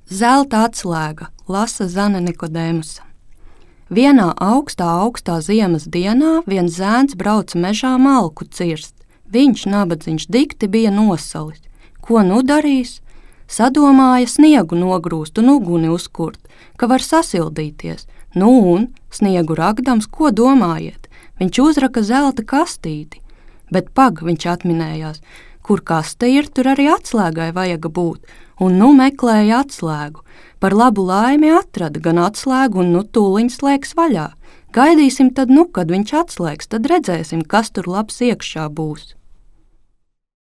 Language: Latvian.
Zelta atslēga, lasa Zane Nikodēmusa. Vienā augstā ziemas dienā viens zēns brauca mežā malku cirst. Viņš, nabadziņš, dikti bija nosalis. Ko nu darīs? Sadomāja sniegu nogrūst un uguni uzkurt, ka var sasildīties. Nu un, sniegu ragdams, ko domājiet? Viņš uzraka zelta kastīti. Bet pag, viņš atminējās, kur kaste ir, tur arī atslēgai vajag būt, un nu meklēja atslēgu. Par labu laimi atrada gan atslēgu, un nu tūliņ slēgs vaļā. Gaidīsim tad, kad viņš atslēgs, tad redzēsim, kas tur labs iekšā būs.